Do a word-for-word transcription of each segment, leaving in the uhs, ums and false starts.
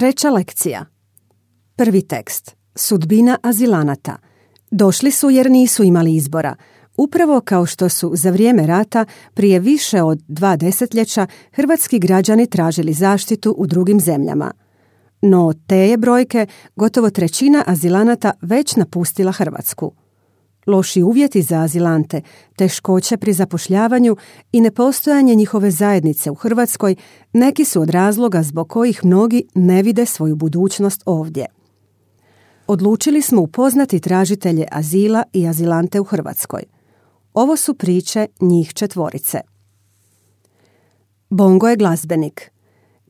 Treća lekcija. Prvi tekst. Sudbina azilanata. Došli su jer nisu imali izbora. Upravo kao što su za vrijeme rata prije više od dva desetljeća hrvatski građani tražili zaštitu u drugim zemljama. No te je brojke gotovo trećina azilanata već napustila Hrvatsku. Loši uvjeti za azilante, teškoće pri zapošljavanju i nepostojanje njihove zajednice u Hrvatskoj neki su od razloga zbog kojih mnogi ne vide svoju budućnost ovdje. Odlučili smo upoznati tražitelje azila i azilante u Hrvatskoj. Ovo su priče njih četvorice. Bongo je glazbenik.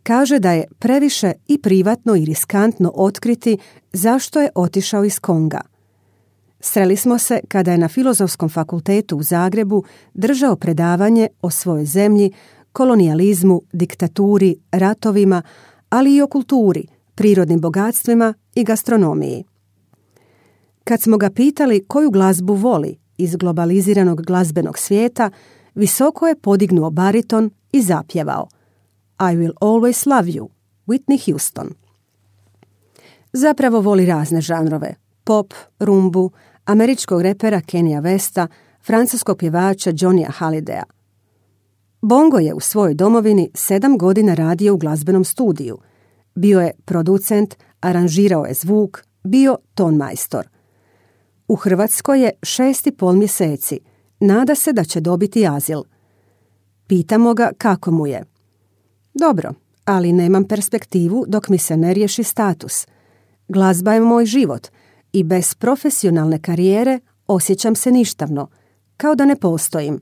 Kaže da je previše i privatno i riskantno otkriti zašto je otišao iz Konga. Sreli smo se kada je na Filozofskom fakultetu u Zagrebu držao predavanje o svojoj zemlji, kolonijalizmu, diktaturi, ratovima, ali i o kulturi, prirodnim bogatstvima i gastronomiji. Kad smo ga pitali koju glazbu voli iz globaliziranog glazbenog svijeta, visoko je podignuo bariton i zapjevao I will always love you, Whitney Houston. Zapravo voli razne žanrove, pop, rumbu, američkog repera Kenya Westa, francuskog pjevača Johnny'a Hallidaya. Bongo je u svojoj domovini sedam godina radio u glazbenom studiju. Bio je producent, aranžirao je zvuk, bio tonmajstor. U Hrvatskoj je šest i pol mjeseci. Nada se da će dobiti azil. Pitamo ga kako mu je. Dobro, ali nemam perspektivu dok mi se ne riješi status. Glazba je moj život i bez profesionalne karijere osjećam se ništavno, kao da ne postojim.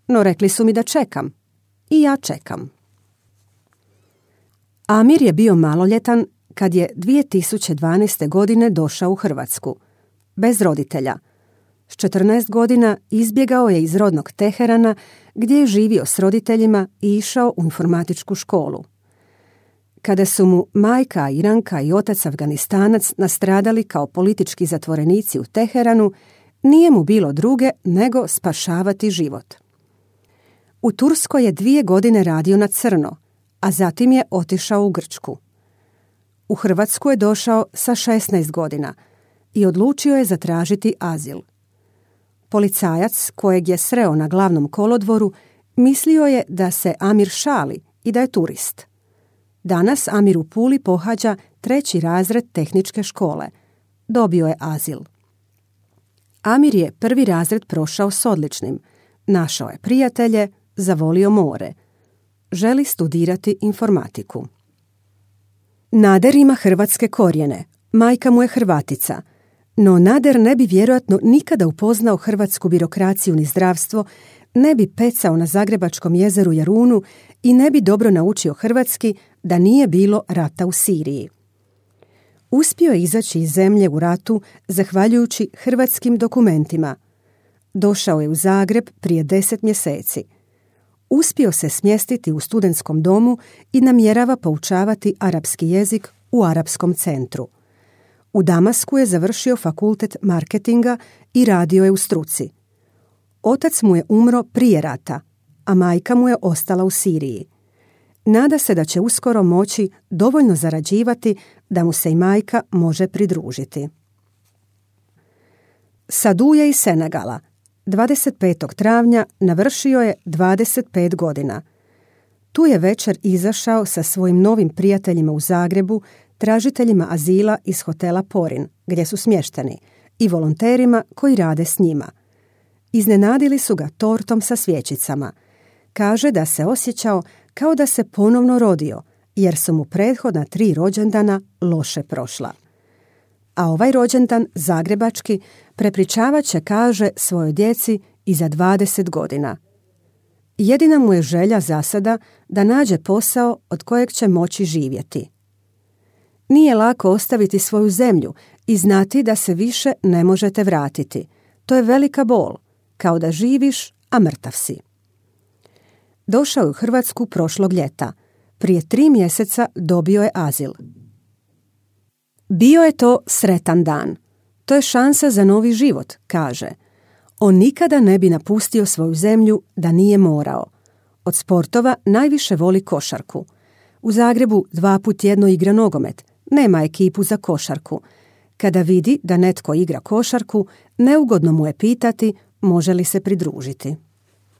No rekli su mi da čekam. I ja čekam. Amir je bio maloljetan kad je dvije tisuće dvanaeste. godine došao u Hrvatsku. Bez roditelja. S četrnaest godina izbjegao je iz rodnog Teherana gdje je živio s roditeljima i išao u informatičku školu. Kada su mu majka Iranka i otac Afganistanac nastradali kao politički zatvorenici u Teheranu, nije mu bilo druge nego spašavati život. U Turskoj je dvije godine radio na crno, a zatim je otišao u Grčku. U Hrvatsku je došao sa šesnaest godina i odlučio je zatražiti azil. Policajac kojeg je sreo na glavnom kolodvoru mislio je da se Amir šali i da je turist. Danas Amir u Puli pohađa treći razred tehničke škole. Dobio je azil. Amir je prvi razred prošao s odličnim. Našao je prijatelje, zavolio more. Želi studirati informatiku. Nader ima hrvatske korijene. Majka mu je Hrvatica. No Nader ne bi vjerojatno nikada upoznao hrvatsku birokraciju ni zdravstvo, ne bi pecao na Zagrebačkom jezeru Jarunu i ne bi dobro naučio hrvatski da nije bilo rata u Siriji. Uspio je izaći iz zemlje u ratu zahvaljujući hrvatskim dokumentima. Došao je u Zagreb prije deset mjeseci. Uspio se smjestiti u studentskom domu i namjerava poučavati arapski jezik u arapskom centru. U Damasku je završio fakultet marketinga i radio je u struci. Otac mu je umro prije rata, a majka mu je ostala u Siriji. Nada se da će uskoro moći dovoljno zarađivati da mu se i majka može pridružiti. Sadu je iz Senegala. dvadeset petog travnja navršio je dvadeset pet godina. Tu je večer izašao sa svojim novim prijateljima u Zagrebu, tražiteljima azila iz hotela Porin, gdje su smješteni, i volonterima koji rade s njima. Iznenadili su ga tortom sa svjećicama. Kaže da se osjećao kao da se ponovno rodio, jer su mu prethodna tri rođendana loše prošla. A ovaj rođendan, zagrebački, prepričavat će, kaže, svojoj djeci i za dvadeset godina. Jedina mu je želja za sada da nađe posao od kojeg će moći živjeti. Nije lako ostaviti svoju zemlju i znati da se više ne možete vratiti. To je velika bol, kao da živiš, a mrtav si. Došao je u Hrvatsku prošlog ljeta. Prije tri mjeseca dobio je azil. Bio je to sretan dan. To je šansa za novi život, kaže. On nikada ne bi napustio svoju zemlju da nije morao. Od sportova najviše voli košarku. U Zagrebu dva put tjedno igra nogomet, nema ekipu za košarku. Kada vidi da netko igra košarku, neugodno mu je pitati može li se pridružiti.